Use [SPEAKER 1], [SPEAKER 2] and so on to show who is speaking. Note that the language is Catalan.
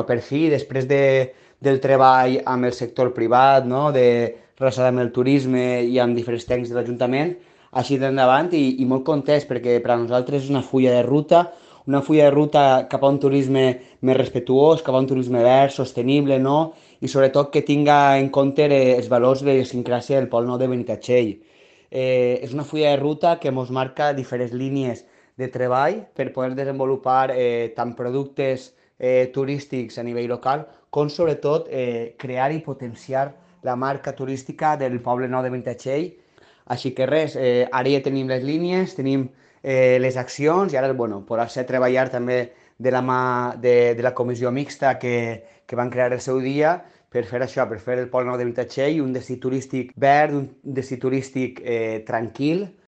[SPEAKER 1] per fi, després del treball amb el sector privat, no? Relacionat amb el turisme i amb diferents tècnics de l'Ajuntament, així d'endavant i molt contents perquè per a nosaltres és una fulla de ruta cap a un turisme més respectuós, cap a un turisme verd, sostenible, no? I sobretot que tinga en compte els valors de idiosincràsia del Pol Nou de Benitatxell. És una fulla de ruta que ens marca diferents línies de treball per poder desenvolupar tant productes turístics a nivell local com sobretot crear i potenciar la marca turística del Poble Nou de Benitatxell. Així que res, ara ja tenim les línies, tenim les accions i ara, bueno, poder-se treballar també de la mà de la comissió mixta que van crear el seu dia per fer això, per fer el Pol Nou de Benitatxell un destí turístic verd, un destí turístic tranquil,